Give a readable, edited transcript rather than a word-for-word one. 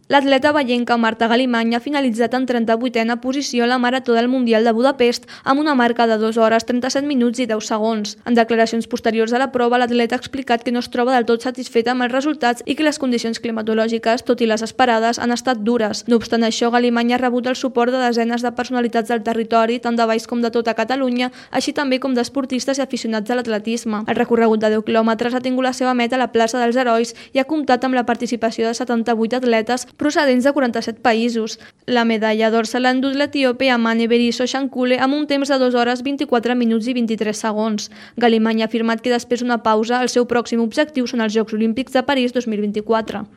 L'atleta vallenca Marta Galimany ha finalitzat en 38a posició a la Marató del Mundial de Budapest amb una marca de 2 hores, 37 minuts i 10 segons. En declaracions posteriors a la prova, l'atleta ha explicat que no es troba del tot satisfeta amb els resultats i que les condicions climatològiques, tot i les esperades, han estat dures. No obstant això, Galimany ha rebut el suport de desenes de personalitats del territori, tant de Valls com de tota Catalunya, així també com d'esportistes i aficionats a l'atletisme. El recorregut de 10 quilòmetres ha tingut la seva meta a la plaça dels Herois i ha comptat amb la participació de 78 atletes procedents de 47 països. La medalla d'or se l'ha endut l'etíope Amane Beriso Shankule amb un temps de 2 hores, 24 minuts i 23 segons. Galimany ha afirmat que després d'una pausa el seu pròxim objectiu són els Jocs Olímpics de París 2024.